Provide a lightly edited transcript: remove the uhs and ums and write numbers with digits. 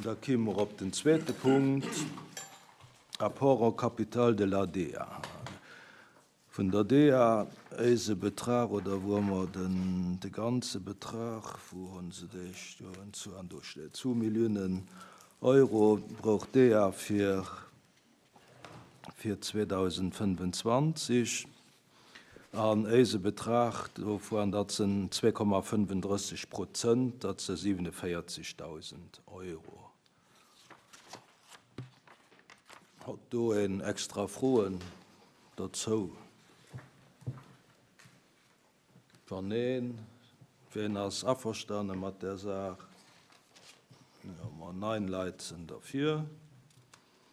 Da kime mer op den zweete Punkt, Apport en capital de la DEA. Vun der DEA éise Betrag, oder wou hu mer den de ganze Betrag, wou hu se dee stoen, zu, an do steet, zu Milliounen Euro brauch d'DEA fir fir 2025. An éise Betrag dovuan, dat sinn 2,35 Prozent, dat si 47.000 Euro. Hott do een extra Froen dozou? Wann neen, ween ass averstane mat där Saach? Jo, ma 9 Leit sinn derfir.